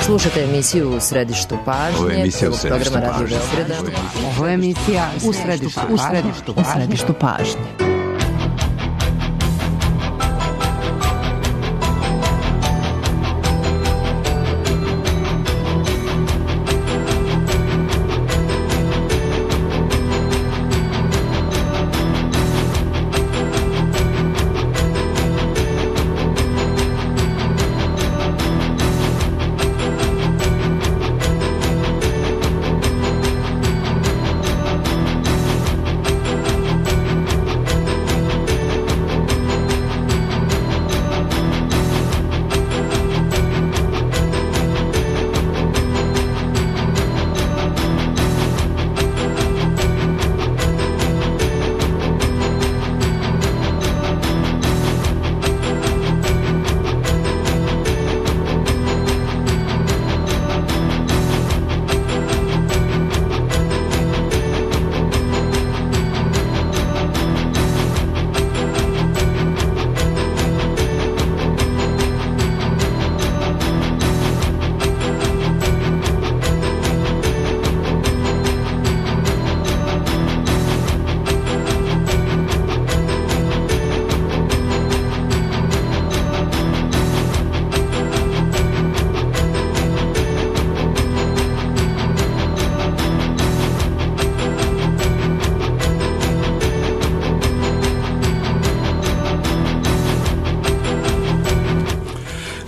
Slušate emisiju U središtu pažnje, prvog programa Radio Beograda. Ovo je emisija U središtu pažnje.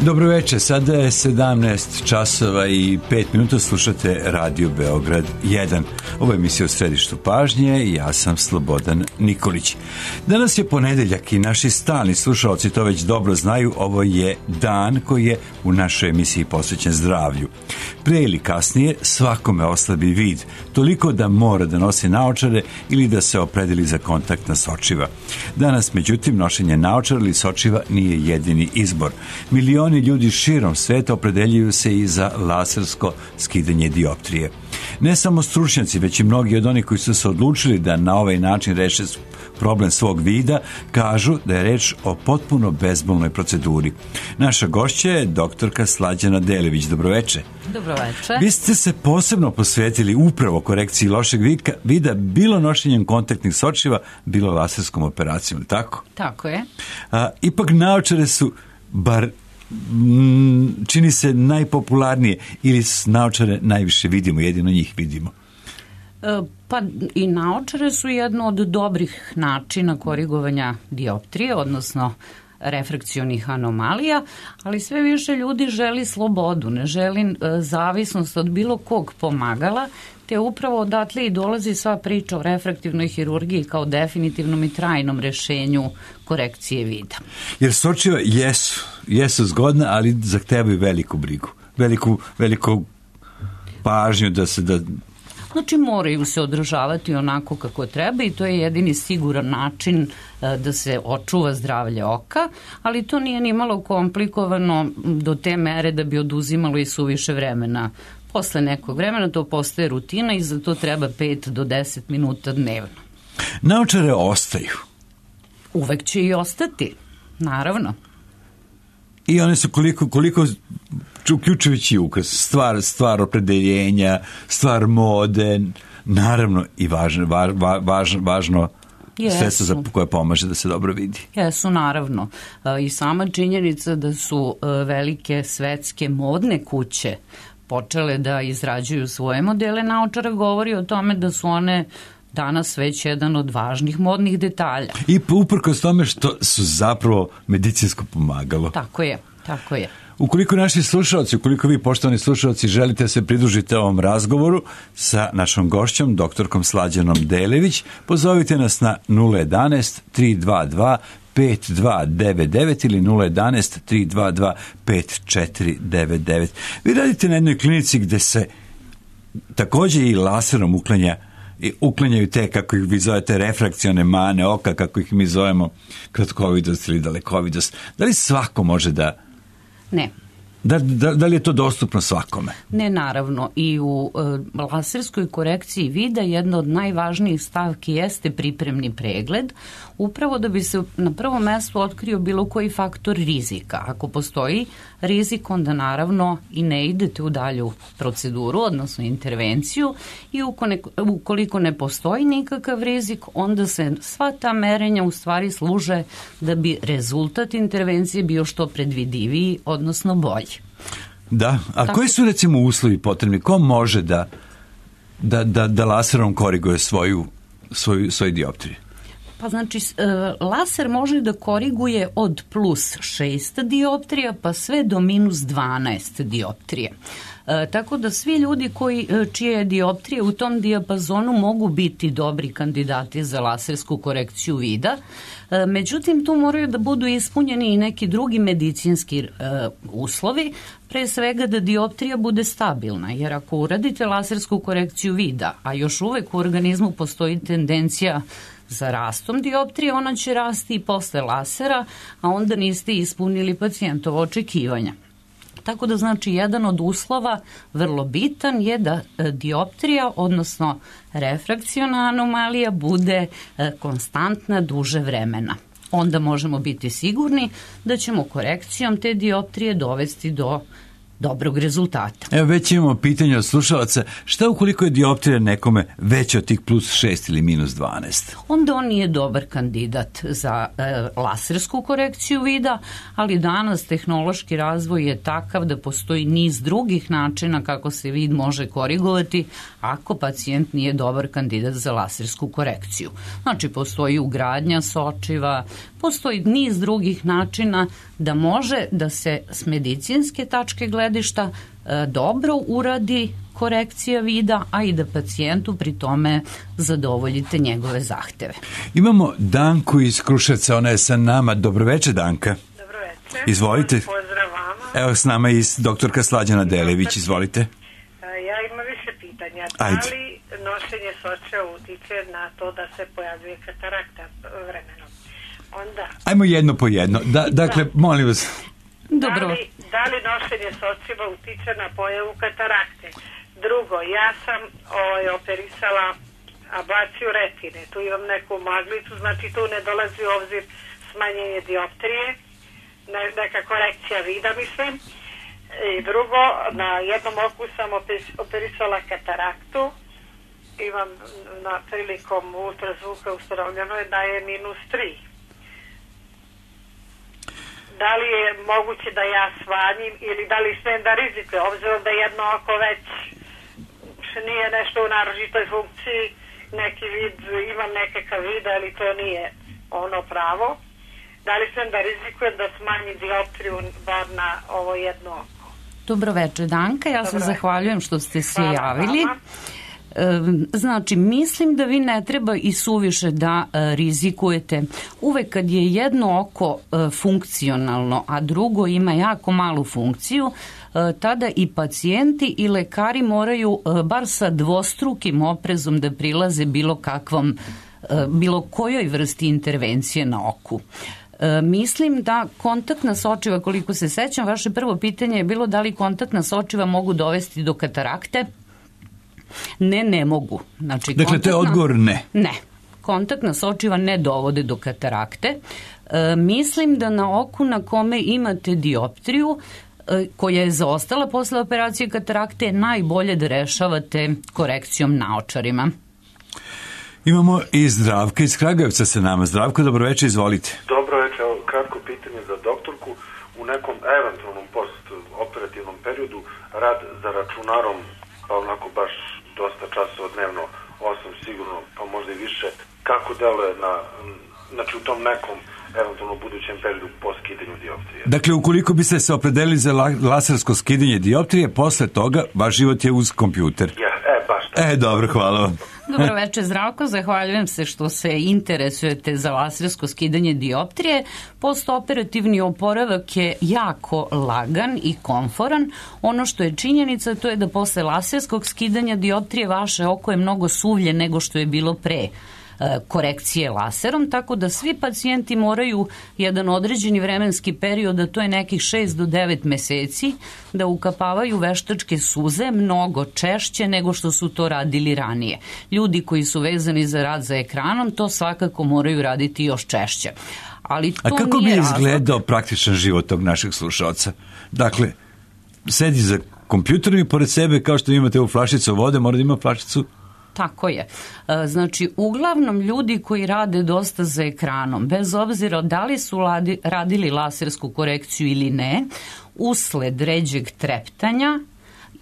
Dobro večer, sada je 17 časova i 5 minuta, slušate Radio Beograd 1. Ovo je emisija U središtu pažnje i ja sam Slobodan Nikolić. Danas je ponedeljak i naši stalni slušalci to već dobro znaju, ovo je dan koji je u našoj emisiji posvećen zdravlju. Pre ili kasnije svakome oslabi vid, toliko da mora da nosi naočare ili da se opredeli za kontaktna sočiva. Danas, međutim, nošenje naočara ili sočiva nije jedini izbor. Milioni ljudi širom sveta opredeljuju se i za lasersko skidanje dioptrije. Ne samo stručnjaci, već i mnogi od onih koji su se odlučili da na ovaj način reše problem svog vida, kažu da je reč o potpuno bezbolnoj proceduri. Naša gošća je doktorka Slađana Delević. Dobroveče. Dobroveče. Vi ste se posebno posvetili upravo korekciji lošeg vida, bilo nošenjem kontaktnih sočiva, bilo laserskom operacijom, tako? Tako je. Ipak naočare su, bar čini se, najpopularnije, ili naočare najviše vidimo, jedino njih vidimo? Pa i naočare su jedno od dobrih načina korigovanja dioptrije, odnosno refrakcionih anomalija, ali sve više ljudi želi slobodu, ne želi zavisnost od bilo kog pomagala, te upravo odatle i dolazi sva priča o refraktivnoj hirurgiji kao definitivnom i trajnom rešenju korekcije vida. Jer sočiva jesu zgodna, ali zahtevaju veliku brigu, veliku pažnju da se Znači moraju se održavati onako kako treba i to je jedini siguran način da se očuva zdravlje oka, ali to nije ni malo komplikovano do te mere da bi oduzimalo i suviše vremena. Posle nekog vremena to postaje rutina i za to treba 5 do 10 minuta dnevno. Naočare ostaju. Uvek će i ostati, naravno. I one su koliko uključujući ukras, stvar opredeljenja, stvar mode, naravno i važno sredstvo za koje pomaže da se dobro vidi. Jesu, naravno. I sama činjenica da su velike svetske modne kuće počele da izrađuju svoje modele naočara govori o tome da su one danas već jedan od važnih modnih detalja. I uprkos tome što su zapravo medicinsko pomagalo. Tako je. Ukoliko naši slušalci, ukoliko vi, poštovani slušalci, želite se pridružiti ovom razgovoru sa našom gošćom, doktorkom Slađanom Delević, pozovite nas na 011-322-5299 ili 011-322-5499. Vi radite na jednoj klinici gde se također i laserom uklanjaju te, kako ih vi zovete, refrakcione mane oka, kako ih mi zovemo kratkovidost ili dalekovidost. Da li svako može da... Ne. Da li je to dostupno svakome? Ne, naravno. I u laserskoj korekciji vida jedna od najvažnijih stavki jeste pripremni pregled, upravo da bi se na prvom mestu otkrio bilo koji faktor rizika. Ako postoji rizik, onda naravno i ne idete u dalju proceduru, odnosno intervenciju, i ukoliko ne postoji nikakav rizik, onda se sva ta merenja u stvari služe da bi rezultat intervencije bio što predvidiviji, odnosno bolji. Da, a koji su recimo uslovi potrebni? Ko može da laserom koriguje svoju dioptriju? Pa znači, laser može da koriguje od plus 6 dioptrija pa sve do minus 12 dioptrije. Tako da svi ljudi čije dioptrije u tom dijapazonu mogu biti dobri kandidati za lasersku korekciju vida. Međutim, tu moraju da budu ispunjeni i neki drugi medicinski uslovi, pre svega da dioptrija bude stabilna, jer ako uradite lasersku korekciju vida, a još uvek u organizmu postoji tendencija za rastom dioptrije, ona će rasti i posle lasera, a onda niste ispunili pacijentovo očekivanja. Tako da znači jedan od uslova vrlo bitan je da dioptrija, odnosno refrakciona anomalija, bude konstantna duže vremena. Onda možemo biti sigurni da ćemo korekcijom te dioptrije dovesti do dobrog rezultata. Evo, već imamo pitanje od slušalaca, šta ukoliko je dioptrija nekome veća od tih plus 6 ili minus 12? Onda on nije dobar kandidat za lasersku korekciju vida, ali danas tehnološki razvoj je takav da postoji niz drugih načina kako se vid može korigovati ako pacijent nije dobar kandidat za lasersku korekciju. Znači, postoji ugradnja sočiva, postoji niz drugih načina da može da se s medicinske tačke gledišta dobro uradi korekcija vida, a i da pacijentu pri tome zadovoljite njegove zahteve. Imamo Danku iz Kruševca, ona je sa nama. Dobroveče, Danka. Dobroveče. Izvolite. Pozdrav vama. Evo s nama i doktorka Slađana Delević, izvolite. Ja imam više pitanja. Ajde. Da li nošenje sočeva utiče na to da se pojavljuje katarakta vremenom? Onda... Ajmo jedno po jedno. Dakle, molim vas. Dobro. Da li nošenje sočiva utiče na pojavu katarakte? Drugo, ja sam operisala ablaciju retine. Tu imam neku maglicu, znači tu ne dolazi u obzir smanjenje dioptrije, neka korekcija vida, mislim. I drugo, na jednom oku sam operisala kataraktu. Imam prilikom ultrazvuka ustanovljeno je da je -3. Da li je moguće da ja smanjim ili da li smem da rizikujem, obzirom da jedno oko već nije nešto u naročitoj funkciji, neki vid, imam nekakav vid, ali to nije ono pravo. Da li smem da rizikujem da smanjim dioptriju bar na ovo jedno oko? Dobro večer, Danka, ja se zahvaljujem što ste se javili. Znači, mislim da vi ne treba i suviše da rizikujete. Uvek kad je jedno oko funkcionalno, a drugo ima jako malu funkciju, tada i pacijenti i lekari moraju bar sa dvostrukim oprezom da prilaze bilo kojoj vrsti intervencije na oku. Mislim da kontaktna sočiva, koliko se sećam, vaše prvo pitanje je bilo da li kontaktna sočiva mogu dovesti do katarakte. Ne mogu. Znači, dakle, to je odgovor ne. Ne. Kontaktna sočiva ne dovode do katarakte. Mislim da na oku na kome imate dioptriju, koja je zaostala posle operacije katarakte, najbolje da rešavate korekcijom naočarima. Imamo i Zdravka iz Kragujevca sa nama. Zdravko, dobroveče, izvolite. Dobroveče, kratko pitanje za doktorku. U nekom eventualnom postoperativnom periodu rad za računarom, pa onako baš dosta časova dnevno, 8 sigurno, pa možda i više, kako deluje znači u tom nekom eventualno budućem periodu po skidanju dioptrije? Dakle, ukoliko biste se opredelili za lasersko skidanje dioptrije, posle toga vaš život je uz kompjuter. Baš. Dobro, hvala vam. Dobro večer, Zdravko, zahvaljujem se što se interesujete za lasersko skidanje dioptrije. Postoperativni oporavak je jako lagan i komforan. Ono što je činjenica, to je da posle laserskog skidanja dioptrije vaše oko je mnogo suvlje nego što je bilo pre korekcije laserom, tako da svi pacijenti moraju jedan određeni vremenski period, a to je nekih 6 do 9 meseci, da ukapavaju veštačke suze mnogo češće nego što su to radili ranije. Ljudi koji su vezani za rad za ekranom to svakako moraju raditi još češće. Ali to a kako nije bi razlog. izgledao praktičan život tog našeg slušalca? Dakle, sedi za kompjuterom i pored sebe, kao što imate u flašicu vode, mora da ima flašicu. Tako je. Znači, uglavnom ljudi koji rade dosta za ekranom, bez obzira da li su radili lasersku korekciju ili ne, usled ređeg treptanja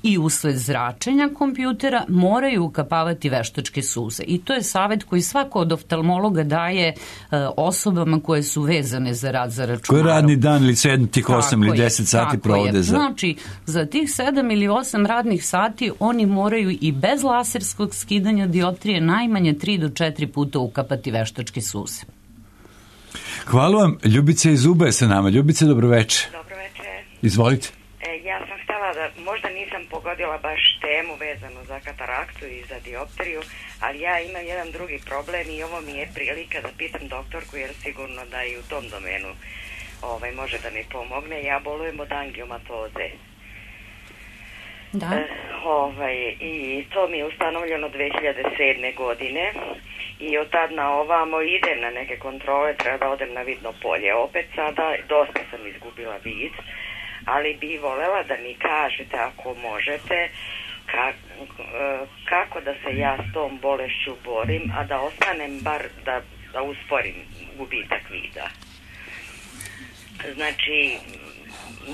i usled zračenja kompjutera moraju ukapavati veštačke suze. I to je savjet koji svako od oftalmologa daje osobama koje su vezane za rad za računarom. Koji radni dan ili 7, tih 8 ili 10 sati provode za... Znači, za tih 7 ili 8 radnih sati oni moraju i bez laserskog skidanja dioptrije najmanje 3 do 4 puta ukapati veštačke suze. Hvala vam. Ljubica iz Uba je sa nama. Ljubica, dobroveče. Dobroveče. Izvolite. Ja sam htjela da, možda nisam pogodila baš temu vezanu za kataraktu i za dioptriju, ali ja imam jedan drugi problem i ovo mi je prilika da pitam doktorku, jer sigurno da i u tom domenu može da mi pomogne. Ja bolujem od angiomatoze. Da. I to mi je ustanovljeno 2007. godine i od tad na ovamo idem na neke kontrole, treba da odem na vidno polje. Opet sada dosta sam izgubila vid, ali bi volela da mi kažete, ako možete, kako da se ja s tom bolešću borim, a da ostanem bar da usporim gubitak vida. Znači,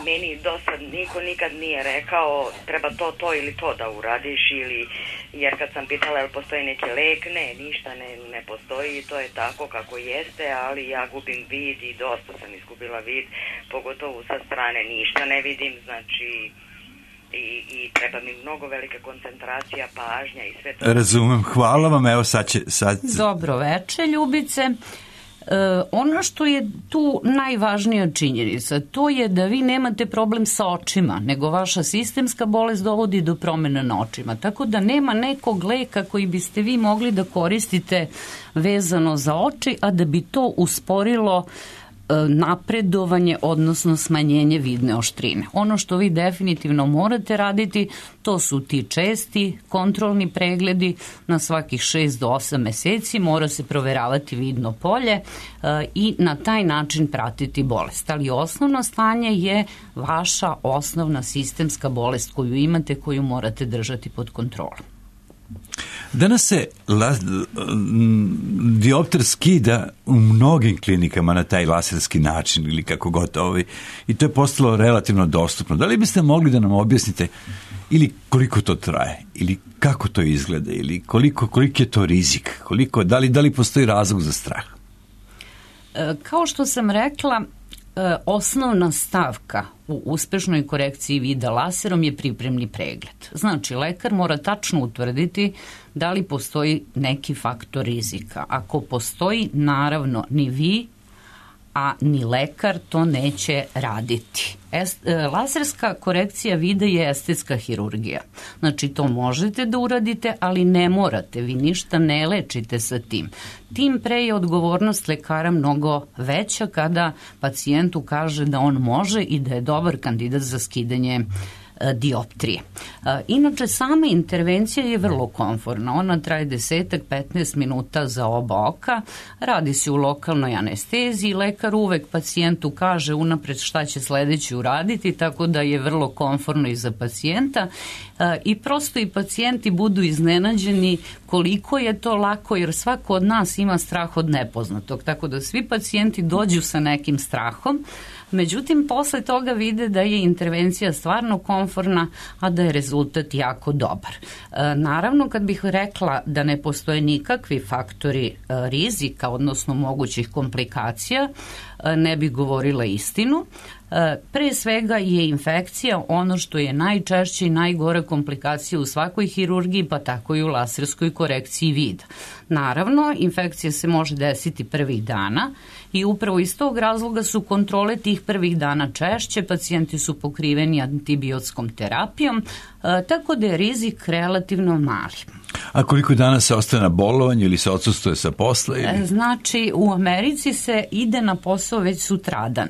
meni dosta niko nikad nije rekao treba to ili to da uradiš, ili, jer kad sam pitala jel postoji neki lek, ništa ne postoji, to je tako kako jeste, ali ja gubim vid i dosta sam izgubila vid, pogotovo sa strane ništa ne vidim, znači i treba mi mnogo velika koncentracija, pažnja i sve to. Razumem, hvala vam, evo sad. Dobro veče, Ljubice. Ono što je tu najvažnija činjenica, to je da vi nemate problem sa očima, nego vaša sistemska bolest dovodi do promjena na očima. Tako da nema nekog leka koji biste vi mogli da koristite vezano za oči, a da bi to usporilo napredovanje, odnosno smanjenje vidne oštrine. Ono što vi definitivno morate raditi, to su ti česti kontrolni pregledi na svakih 6 do 8 meseci, mora se proveravati vidno polje i na taj način pratiti bolest. Ali osnovno stanje je vaša osnovna sistemska bolest koju imate, koju morate držati pod kontrolom. Danas se diopter skida u mnogim klinikama na taj laserski način ili kako god i to je postalo relativno dostupno. Da li biste mogli da nam objasnite ili koliko to traje, ili kako to izgleda, ili koliki je to rizik, da li postoji razlog za strah? Kao što sam rekla, osnovna stavka u uspešnoj korekciji vida laserom je pripremni pregled. Znači, lekar mora tačno utvrditi da li postoji neki faktor rizika. Ako postoji, naravno, ni vi, a ni lekar to neće raditi. Laserska korekcija vida je estetska hirurgija. Znači, to možete da uradite, ali ne morate. Vi ništa ne lečite sa tim. Tim pre je odgovornost lekara mnogo veća kada pacijentu kaže da on može i da je dobar kandidat za skidanje dioptrije. Inače, sama intervencija je vrlo komforna. Ona traje 10-15 minuta za oba oka. Radi se u lokalnoj anesteziji. Lekar uvek pacijentu kaže unapred šta će sledeći uraditi, tako da je vrlo komforno i za pacijenta. I prosto i pacijenti budu iznenađeni koliko je to lako, jer svako od nas ima strah od nepoznatog. Tako da svi pacijenti dođu sa nekim strahom. Međutim, posle toga vide da je intervencija stvarno komforna, a da je rezultat jako dobar. Naravno, kad bih rekla da ne postoje nikakvi faktori rizika, odnosno mogućih komplikacija, ne bih govorila istinu. Pre svega je infekcija ono što je najčešće i najgore komplikacija u svakoj hirurgiji, pa tako i u laserskoj korekciji vida. Naravno, infekcija se može desiti prvih dana i upravo iz tog razloga su kontrole tih prvih dana češće, pacijenti su pokriveni antibiotskom terapijom, tako da je rizik relativno mali. A koliko dana se ostaje na bolovanju ili se odsustuje sa posla? Ili? Znači, u Americi se ide na posao već sutradan.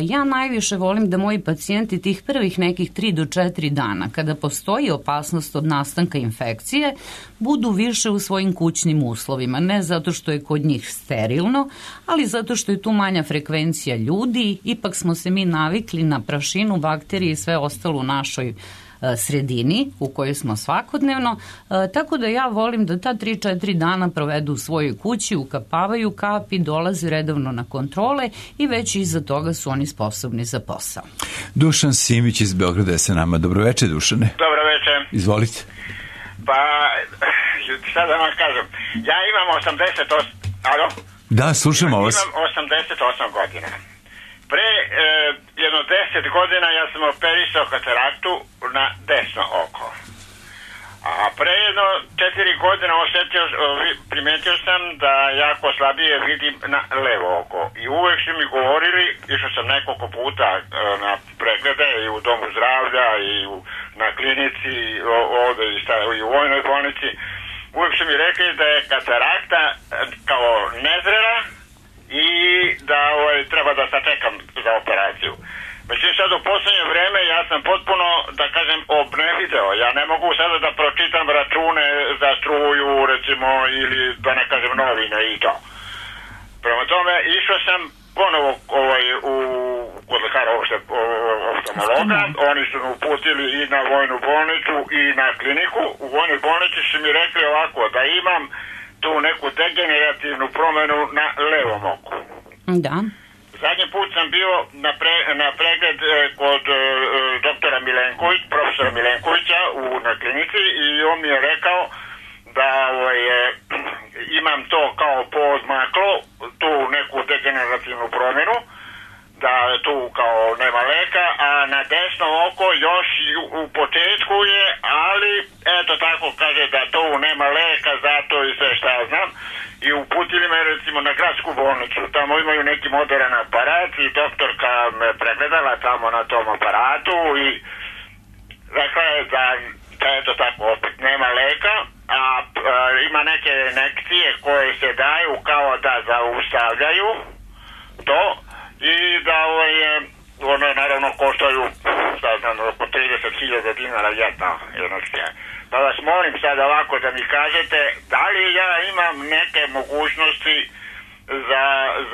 Ja najviše volim da moji pacijenti tih prvih nekih 3 do 4 dana, kada postoji opasnost od nastanka infekcije, budu više u svojim kućnim uslovima. Ne zato što je kod njih sterilno, ali zato što je tu manja frekvencija ljudi. Ipak smo se mi navikli na prašinu, bakterije i sve ostalo u našoj sredini u kojoj smo svakodnevno, tako da ja volim da ta 3-4 dana provedu u svojoj kući, ukapavaju kapi, dolaze redovno na kontrole i već iza toga su oni sposobni za posao. Dušan Simić iz Beograda je sa nama. Dobroveče, Dušane. Dobroveče. Izvolite. Pa, šta da vam kažem, ja imam 88... Alo? Da, slušamo vas. Imam 88 godina. Pre jedno 10 godina ja sam operisao kataraktu na desno oko. A pre jedno 4 godine primetio sam da jako slabije vidim na levo oko. I uvek su mi govorili, išao sam nekoliko puta na preglede i u domu zdravlja i na klinici ovde i u vojnoj bolnici. Uvek su mi rekli da je katarakta kao nezrela i da treba da sačekam za operaciju. Međutim, sad u poslednje vreme ja sam potpuno, da kažem, obnevideo. Ja ne mogu sada da pročitam račune za struju, recimo, ili da ne kažem novine i to. Prema tome, išao sam ponovo kod lekara oftalmologa. Oni su me uputili i na vojnu bolnicu i na kliniku. U vojnoj bolnici su mi rekli ovako, da imam tu neku degenerativnu promenu na levom oku. Da. Zadnji put sam bio na pregled kod doktora profesora Milenkovića na klinici i on mi je rekao da imam to kao poodmaklo, tu neku degenerativnu promjenu, da tu kao nema leka, a na desno oko još u početku je, ali eto tako kaže da tu nema leka, zato i sve šta ja znam. I uputili me recimo na gradsku bolnicu, tamo imaju neki modern aparat i doktorka me pregledala tamo na tom aparatu i rekla je da eto tako opet nema leka, a ima neke injekcije koje se daju kao da zaustavljaju to i da one naravno koštaju oko 30.000 dinara jedna injekcija. Pa vas molim sad ovako da mi kažete da li ja imam neke mogućnosti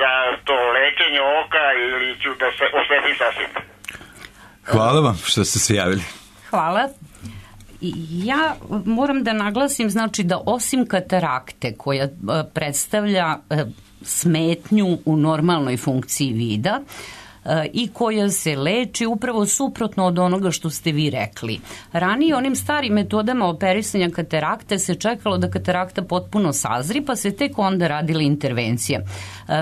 za to lečenje oka ili ću da se oslepim sasvim. Hvala vam što ste se javili. Hvala. Ja moram da naglasim, znači da osim katarakte koja predstavlja smetnju u normalnoj funkciji vida, i koja se leči upravo suprotno od onoga što ste vi rekli. Ranije onim starim metodama operisanja katarakte se čekalo da katarakta potpuno sazri, pa se tek onda radila intervencija.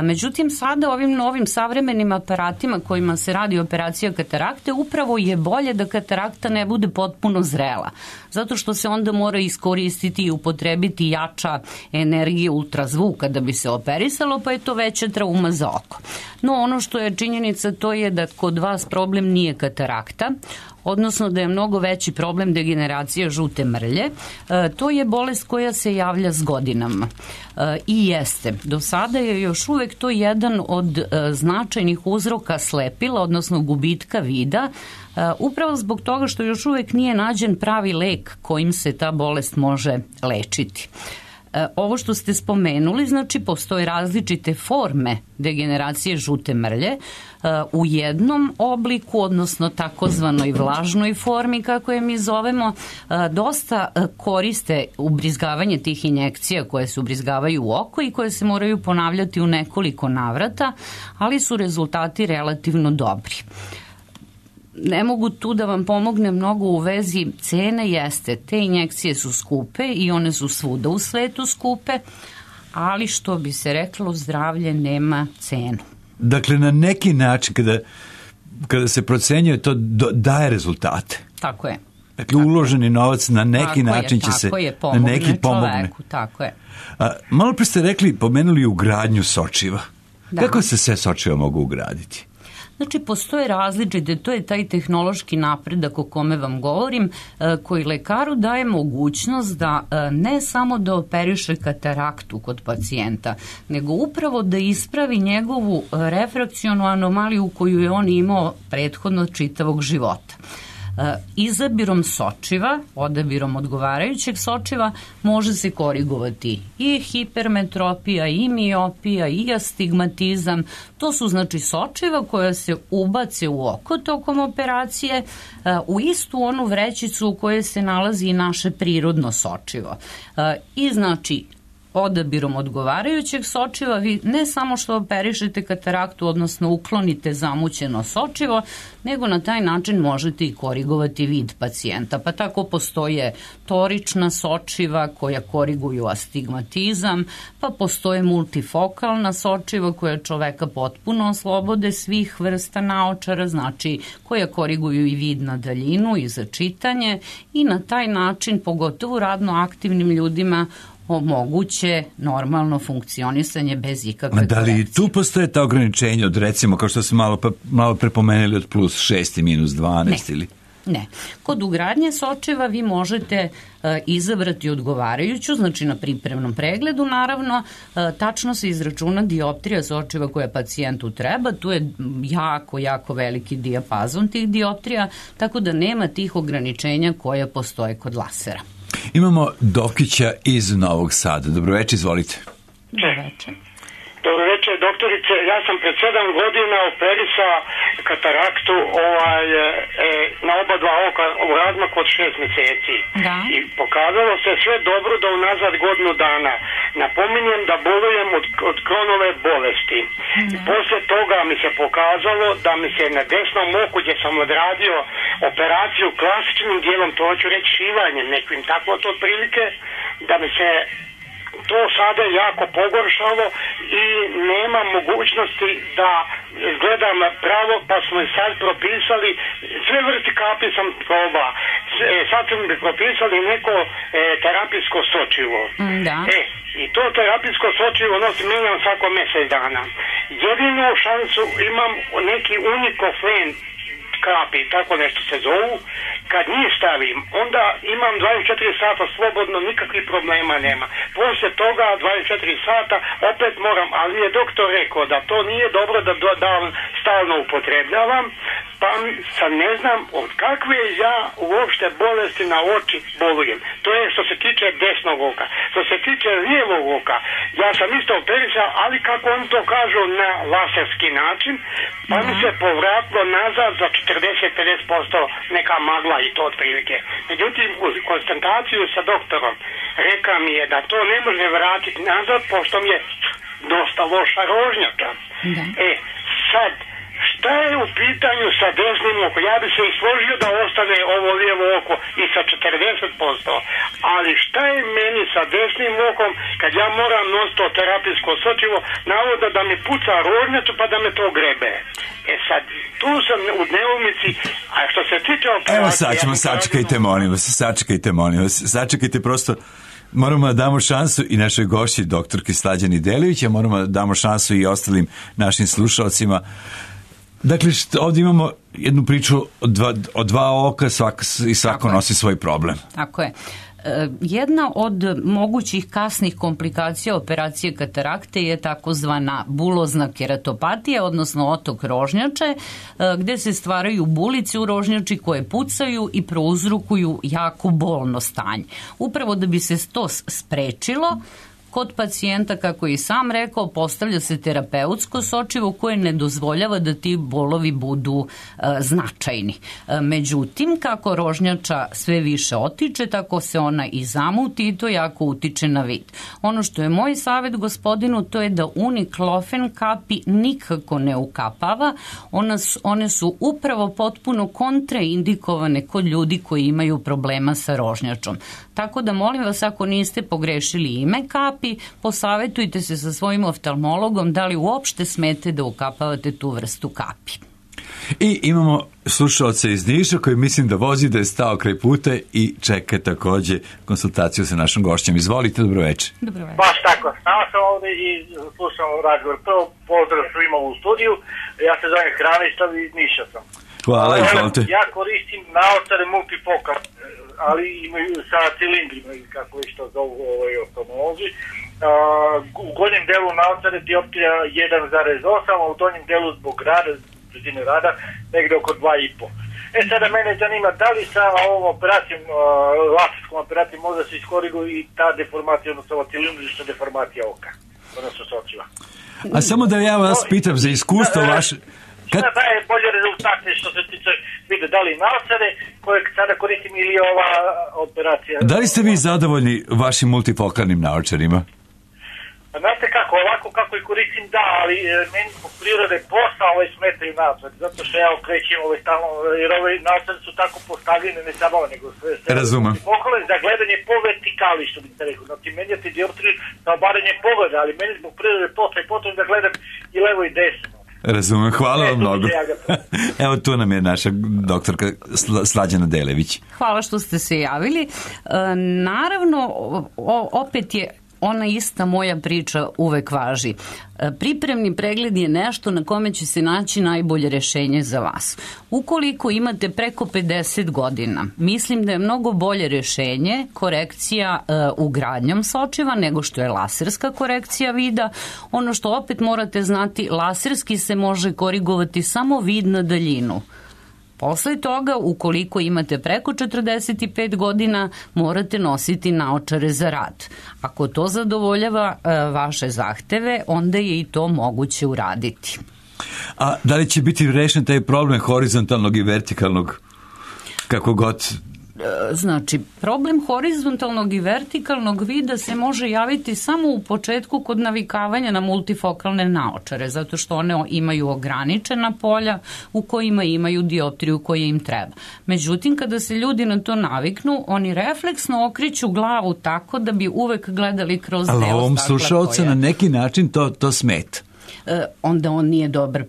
Međutim, sada ovim novim savremenim aparatima kojima se radi operacija katarakte, upravo je bolje da katarakta ne bude potpuno zrela, zato što se onda mora iskoristiti i upotrebiti jača energije ultrazvuka da bi se operisalo, pa je to veća trauma za oko. No, ono što je činjenica to je da kod vas problem nije katarakta, odnosno da je mnogo veći problem degeneracija žute mrlje. To je bolest koja se javlja s godinama. I jeste. Do sada je još uvek to jedan od značajnih uzroka slepila, odnosno gubitka vida, upravo zbog toga što još uvek nije nađen pravi lek kojim se ta bolest može lečiti. Ovo što ste spomenuli, znači postoje različite forme degeneracije žute mrlje. U jednom obliku, odnosno takozvanoj vlažnoj formi, kako je mi zovemo, dosta koriste ubrizgavanje tih injekcija koje se ubrizgavaju u oko i koje se moraju ponavljati u nekoliko navrata, ali su rezultati relativno dobri. Ne mogu tu da vam pomogne mnogo u vezi cene, jeste, te injekcije su skupe i one su svuda u svetu skupe, ali što bi se reklo, zdravlje nema cenu. Dakle, na neki način kada se procenjuje to daje rezultate. Tako je. Dakle, uloženi novac na neki način će se na neki pomogne. Tako je. Malo pre ste pomenuli ugradnju sočiva. Da. Kako se sve sočiva mogu ugraditi? Znači, postoje različite, to je taj tehnološki napredak o kome vam govorim, koji lekaru daje mogućnost da ne samo da operiše kataraktu kod pacijenta, nego upravo da ispravi njegovu refrakcionu anomaliju koju je on imao prethodno čitavog života. Izabirom sočiva, odabirom odgovarajućeg sočiva, može se korigovati i hipermetropija, i miopija, i astigmatizam. To su znači sočiva koja se ubace u oko tokom operacije u istu onu vrećicu u kojoj se nalazi i naše prirodno sočivo. I znači odabirom odgovarajućeg sočiva vi ne samo što operišete kataraktu, odnosno uklonite zamućeno sočivo, nego na taj način možete i korigovati vid pacijenta. Pa tako postoje torična sočiva koja koriguju astigmatizam, pa postoje multifokalna sočiva koja čoveka potpuno oslobode svih vrsta naočara, znači koja koriguju i vid na daljinu i za čitanje i na taj način, pogotovo radno aktivnim ljudima, omoguće normalno funkcionisanje bez ikakve korekcije. Da li tu postoje ta ograničenja od, recimo, kao što smo malo prepomenuli, od plus 6 i minus 12 ili? Ne. Kod ugradnje sočiva vi možete izabrati odgovarajuću, znači na pripremnom pregledu naravno, tačno se izračuna dioptrija sočiva koja pacijentu treba, tu je jako veliki dijapazon tih dioptrija, tako da nema tih ograničenja koje postoje kod lasera. Imamo Dokića iz Novog Sada. Dobroveče, izvolite. Dobroveče. Dobroveče, doktorice. Ja sam pred 7 godina operisao kataraktu na oba dva oka u razmaku od 6 mjeseci. Da. I pokazalo se sve dobro do unazad godinu dana. Napominjem da bolujem od Kronove bolesti. I poslije toga mi se pokazalo da mi se na desnom oku gdje sam odradio operaciju klasičnim dijelom, to hoću reći šivanjem nekim, tako to otprilike, da mi se to sada jako pogoršalo i nema mogućnosti da gledam pravo, pa smo i sad propisali, sve vrsti kapi sam probao, sad smo mi propisali neko terapijsko sočivo. Da. I to terapijsko sočivo mijenjam svako mjesec dana. Jedinu šansu imam neki unikoflen kapi, tako nešto se zovu. Kad njih stavim, onda imam 24 sata slobodno, nikakvih problema nema. Poslije toga 24 sata opet moram, ali je doktor rekao da to nije dobro da stalno upotrebljavam, pa sad ne znam od kakve ja uopšte bolesti na oči bolujem. To je što se tiče desnog oka. Što se tiče lijevog oka, ja sam isto operisao, ali kako oni to kažu, na laserski način, pa mi se povratilo nazad za 40-50% neka magla i to otprilike. Međutim, uz konstantaciju sa doktorom reka mi je da to ne može vratiti nazad, pošto mi je dosta loša rožnjaka. Sad, šta je u pitanju sa desnim okom? Ja bi se i složio da ostane ovo lijevo oko i sa 40%, ali šta je meni sa desnim okom kad ja moram nositi to terapijsko sočivo, navodno da mi puca rožnjaču pa da me to grebe. Sad, tu sam u neumici, a što se tiče operacije... Evo sad ćemo, sačekajte molim vas, sačekajte prosto. Moramo da damo šansu i našoj gošći, doktorki Slađani Delivić, a moramo da damo šansu i ostalim našim slušalcima. Dakle, ovdje imamo jednu priču o dva oka i svako nosi svoj problem. Tako je. Jedna od mogućih kasnih komplikacija operacije katarakte je takozvana bulozna keratopatija, odnosno otok rožnjače, gde se stvaraju bulice u rožnjači koje pucaju i prouzrokuju jako bolno stanje. Upravo da bi se to sprečilo, kod pacijenta, kako je i sam rekao, postavlja se terapeutsko sočivo koje ne dozvoljava da ti bolovi budu značajni. Međutim, kako rožnjača sve više otiče, tako se ona i zamuti i to jako utiče na vid. Ono što je moj savjet gospodinu, to je da uniklofen kapi nikako ne ukapava. One su upravo potpuno kontraindikovane kod ljudi koji imaju problema sa rožnjačom. Tako da molim vas, ako niste pogrešili ime kapi, posavetujte se sa svojim oftalmologom da li uopšte smete da ukapavate tu vrstu kapi. I imamo slušalca iz Niša koji mislim da vozi, da je stao kraj puta i čeka takođe konsultaciju sa našom gošćom. Izvolite, dobro večer. Dobro večer. Baš tako, stao sam ovde i slušam razgovor. Prvo pozdrav svima u studiju, ja se zovem Hranislav i iz Niša sam. Hvala, izvolite. Ja koristim naočare multifocal, ali imaju sa cilindrima, kako već to zovu oftalmolozi. U gornjem delu naočare dioptrija 1,8, a u donjem delu zbog rada, brzine rada, negde oko 2,5. Sada mene zanima da li sa ovom operacijom, laserskom operacijom, možda se iskoriguje i ta deformacija, odnosno ova cilindrična deformacija oka, odnosno sočiva. A samo da ja vas pitam za iskustvo vaše... Šta daje bolje rezultate što se tiče vide, da li naočare koje sada koristim ili ova operacija? Da li ste vi zadovoljni vašim multifokalnim naočarima? Znate kako, ovako kako i koristim, da, ali meni po prirode posla smetaju naočare, zato što ja okrećem stalno, jer ove naočare su tako postavljene, ne samo nego sve. Razumem. Pogled za gledanje po vertikali, što bi se rekao, znači menjati dioptriju za obaranje pogleda, ali meni zbog prirode posla i potom da gledam i levo i desno. Razumem, hvala vam mnogo. Evo tu nam je naša doktorka Slađana Delević. Hvala što ste se javili. Naravno, opet je ona ista moja priča uvek važi. Pripremni pregled je nešto na kome će se naći najbolje rešenje za vas. Ukoliko imate preko 50 godina, mislim da je mnogo bolje rešenje korekcija ugradnjom sočiva nego što je laserska korekcija vida. Ono što opet morate znati, laserski se može korigovati samo vid na daljinu. Posle toga, ukoliko imate preko 45 godina, morate nositi naočare za rad. Ako to zadovoljava vaše zahteve, onda je i to moguće uraditi. A da li će biti rešen taj problem horizontalnog i vertikalnog, kako god? Znači, problem horizontalnog i vertikalnog vida se može javiti samo u početku kod navikavanja na multifokalne naočare, zato što one imaju ograničena polja u kojima imaju dioptriju koja im treba. Međutim, kada se ljudi na to naviknu, oni refleksno okreću glavu tako da bi uvek gledali kroz deo stakla. Ali ovom slušalcu na neki način to smeta. Onda on nije dobar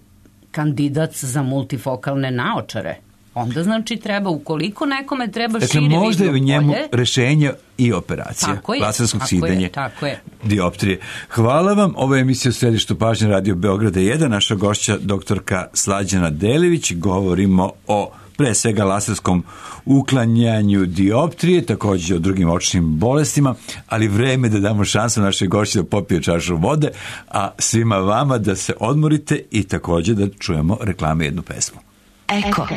kandidat za multifokalne naočare. Onda znači treba, ukoliko nekome treba šire vidno polje... Dakle, možda je u njemu rešenje i operacija. Laserskog sidanja dioptrije. Hvala vam. Ovo je emisija u središtu pažnje Radio Beograda 1. Naša gošća doktorka Slađana Delević. Govorimo o pre svega laserskom uklanjanju dioptrije, također o drugim očnim bolestima, ali vreme da damo šansu našoj gošći da popije čašu vode, a svima vama da se odmorite i također da čujemo reklame jednu pesmu. Eko.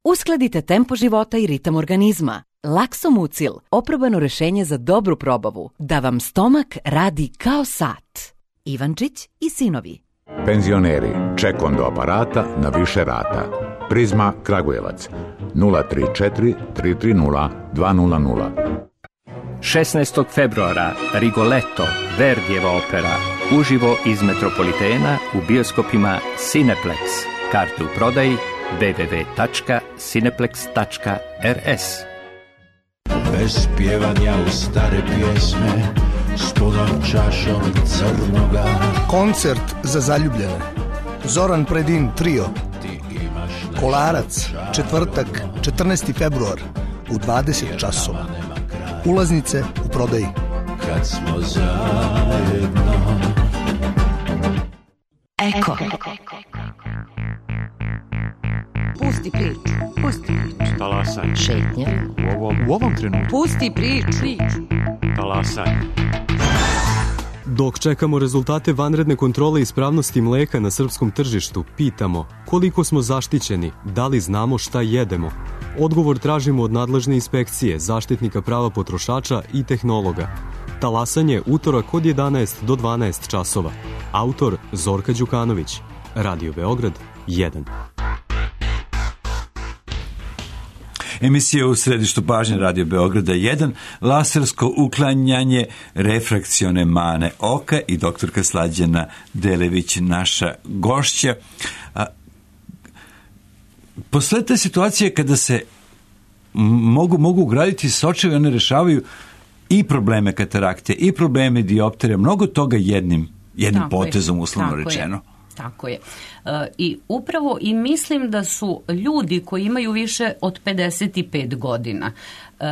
Uskladite tempo života i ritam organizma. Laksomucil, oprobano rešenje za dobru probavu, da vam stomak radi kao sat. Ivančić i sinovi. Penzioneri, ček do aparata na više rata. Prizma Kragujevac 034 330 200. 16. februara Rigoletto, Verdijeva opera, uživo iz Metropolitena u bioskopima Cineplex. Karte u prodaji www.cineplex.rs. Bez pjevanja u stare pjesme s punom čašom crnoga. Koncert za zaljubljene. Zoran Predin trio. Kolarac, četvrtak, 14. februar u 20 časova. Ulaznice u prodaji. Kad smo zajedno. Eko. Pusti priču. Talasaj. Šetnja. U ovom trenutku. Pusti priču. Talasaj. Dok čekamo rezultate vanredne kontrole ispravnosti mleka na srpskom tržištu, pitamo koliko smo zaštićeni, da li znamo šta jedemo. Odgovor tražimo od nadležne inspekcije, zaštitnika prava potrošača i tehnologa. Talasanje utorak od 11 do 12 časova. Autor Zorka Đukanović. Radio Beograd 1. Emisija u središtu pažnje Radio Beograda 1, lasersko uklanjanje refrakcione mane oka i doktorka Slađana Delević, naša gošća. Posle te situacije kada se mogu ugraditi sočevi, one rešavaju i probleme katarakte, i probleme dioptrije, mnogo toga jednim potezom, uslovno rečeno. Tako je. I upravo i mislim da su ljudi koji imaju više od 55 godina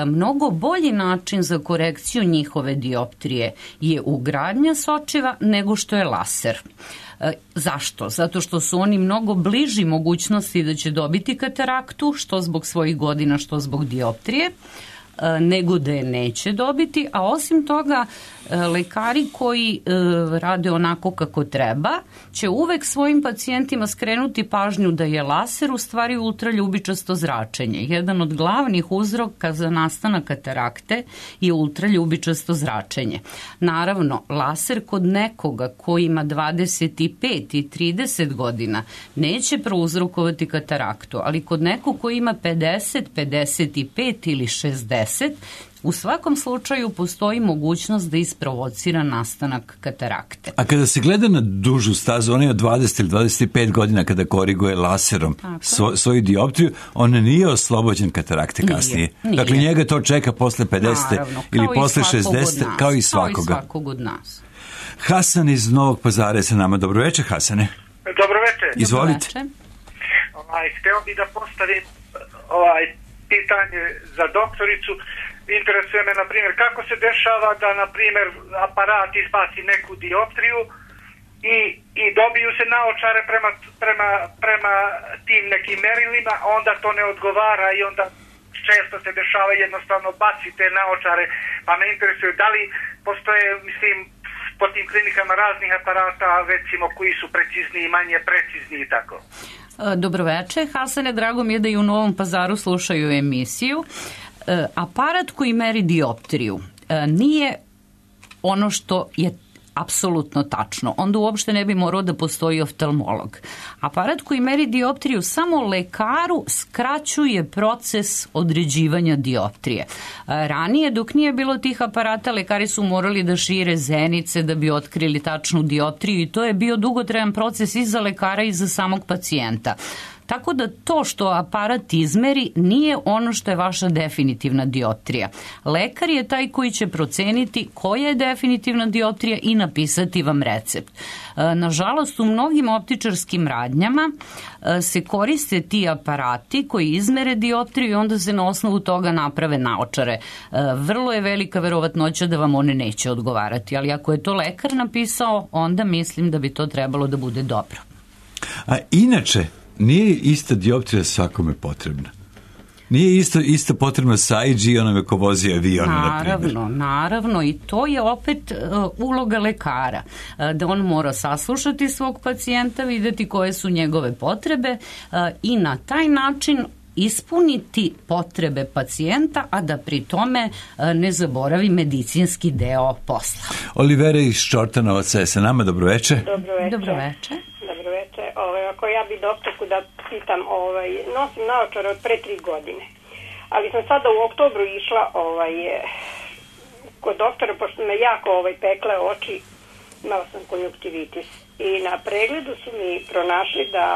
mnogo bolji način za korekciju njihove dioptrije je ugradnja sočiva nego što je laser. Zašto? Zato što su oni mnogo bliži mogućnosti da će dobiti kataraktu, što zbog svojih godina, što zbog dioptrije, nego da je neće dobiti, a osim toga lekari koji rade onako kako treba će uvek svojim pacijentima skrenuti pažnju da je laser u stvari ultraljubičasto zračenje. Jedan od glavnih uzroka za nastanak katarakte je ultraljubičasto zračenje. Naravno, laser kod nekoga koji ima 25 i 30 godina neće prouzrokovati kataraktu, ali kod nekog koji ima 50, 55 ili 60, u svakom slučaju postoji mogućnost da isprovocira nastanak katarakte. A kada se gleda na dužu stazu, ona je od 20 ili 25 godina kada koriguje laserom svoju dioptriju, on nije oslobođen katarakte kasnije. Nije. Dakle, njega to čeka posle 50 ili posle 60, kao i svakoga. Kao i svakog od nas. Hasan iz Novog Pazara je sa nama. Dobro večer, Hasane. Dobro večer. Izvolite. Hteo bih da postavim pitanje za doktoricu. Interesuje me, na primjer, kako se dešava da, na primjer, aparat izbaci neku dioptriju i dobiju se naočare prema tim nekim merilima, onda to ne odgovara i onda često se dešava jednostavno baci te naočare, pa me interesuje da li postoje, mislim, po tim klinikama raznih aparata, recimo, koji su precizniji, manje precizni i tako. Dobroveče, Hasane, drago mi je da i u Novom Pazaru slušaju emisiju. Aparat koji meri dioptriju nije ono što je apsolutno tačno. Onda uopšte ne bi morao da postoji oftalmolog. Aparat koji meri dioptriju samo lekaru skraćuje proces određivanja dioptrije. Ranije, dok nije bilo tih aparata, lekari su morali da šire zenice da bi otkrili tačnu dioptriju i to je bio dugotrajan proces i za lekara i za samog pacijenta. Tako da to što aparat izmeri nije ono što je vaša definitivna dioptrija. Lekar je taj koji će proceniti koja je definitivna dioptrija i napisati vam recept. Nažalost, u mnogim optičarskim radnjama se koriste ti aparati koji izmere dioptriju i onda se na osnovu toga naprave naočare. Vrlo je velika verovatnoća da vam one neće odgovarati, ali ako je to lekar napisao, onda mislim da bi to trebalo da bude dobro. A inače, nije ista dioptrija svakome potrebna. Nije isto potrebno sa IG onome ko vozi avion, na primjer. Naravno, i to je opet uloga lekara, da on mora saslušati svog pacijenta, vidjeti koje su njegove potrebe i na taj način ispuniti potrebe pacijenta, a da pri tome ne zaboravi medicinski deo posla. Olivera iz Čortanovaca je sa nama. Dobroveče. Dobroveče. Ako ja bi doktorku da pitam, nosim naočare od pre 3 godine, ali sam sada u oktobru išla kod doktora, pošto me jako pekle oči, imala sam konjunktivitis i na pregledu su mi pronašli da...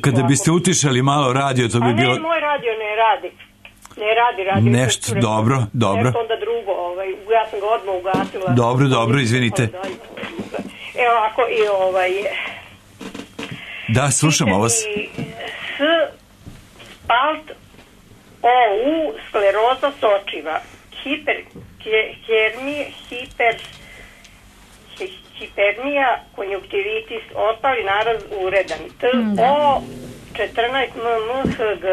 Kada biste utišali malo radio, to bi bilo... A ne, moj radio ne radi. Ne radi. Nešto, dobro. Nešto onda drugo, ja sam ga odmah ugasila. Dobro, izvinite. Evo, ako i Da, slušamo vas. Spalt OU, skleroza sočiva, hipernija, konjunktivitis, ostali naraz uredan. TO 14 MMHG.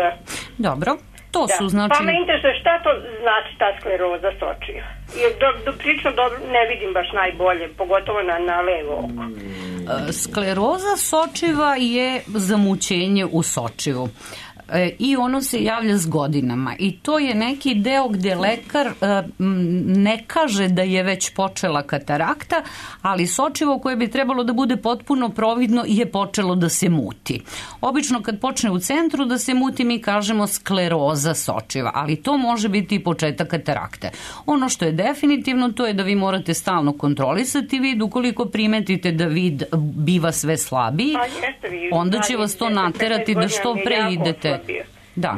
Dobro, to su znači... Pa me interesuje šta to znači ta skleroza sočiva. Jer prilično dobro ne vidim baš najbolje, pogotovo na levo oko. Skleroza sočiva je zamućenje u sočivu i ono se javlja s godinama i to je neki deo gdje lekar ne kaže da je već počela katarakta, ali sočivo koje bi trebalo da bude potpuno providno je počelo da se muti. Obično kad počne u centru da se muti mi kažemo skleroza sočiva, ali to može biti i početak katarakte. Ono što je definitivno to je da vi morate stalno kontrolisati vid, ukoliko primetite da vid biva sve slabiji, onda će vas to naterati da što pre idete. Da.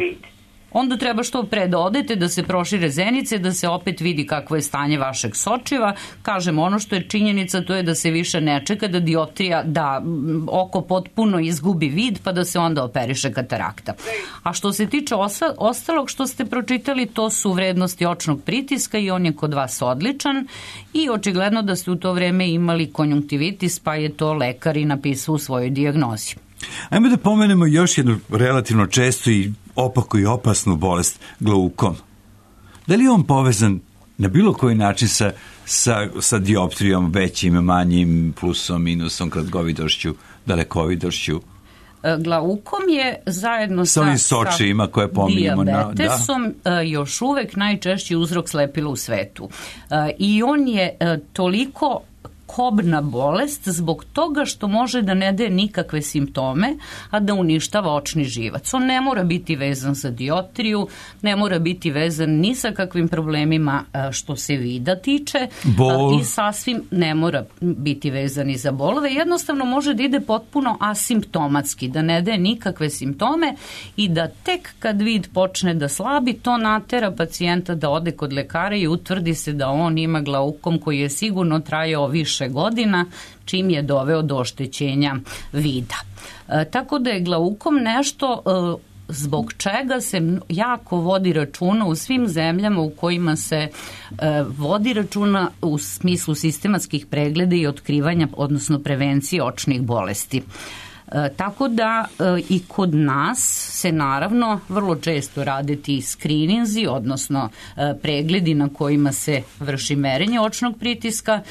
onda treba što pre da odete, da se prošire zenice, da se opet vidi kakvo je stanje vašeg sočiva. Kažem, ono što je činjenica, to je da se više ne čeka da dioptrija, da oko potpuno izgubi vid, pa da se onda operiše katarakta. A što se tiče ostalog što ste pročitali, to su vrednosti očnog pritiska i on je kod vas odličan i očigledno da ste u to vreme imali konjunktivitis, pa je to lekar i napisao u svojoj dijagnozi. Ajmo da pomenemo još jednu relativno čestu i opaku i opasnu bolest, glaukom. Da li je on povezan na bilo koji način sa dioptrijom, većim, manjim, plusom, minusom, kratkovidošću, dalekovidošću? Glaukom je zajedno sa ovim sočijima koje pominjamo dijabetesom još uvek najčešći uzrok slepila u svetu. I on je toliko kobna bolest zbog toga što može da ne daje nikakve simptome, a da uništava očni živac. On ne mora biti vezan za dioptriju, ne mora biti vezan ni sa kakvim problemima što se vida tiče i sasvim ne mora biti vezan i za bolove. Jednostavno može da ide potpuno asimptomatski, da ne daje nikakve simptome i da tek kad vid počne da slabi, to natera pacijenta da ode kod lekara i utvrdi se da on ima glaukom koji je sigurno trajao više godina, čim je doveo do oštećenja vida. Tako da je glaukom nešto zbog čega se jako vodi računa u svim zemljama u kojima se vodi računa u smislu sistematskih pregleda i otkrivanja, odnosno prevencije očnih bolesti. Tako da i kod nas se naravno vrlo često rade ti skrininzi, odnosno pregledi na kojima se vrši merenje očnog pritiska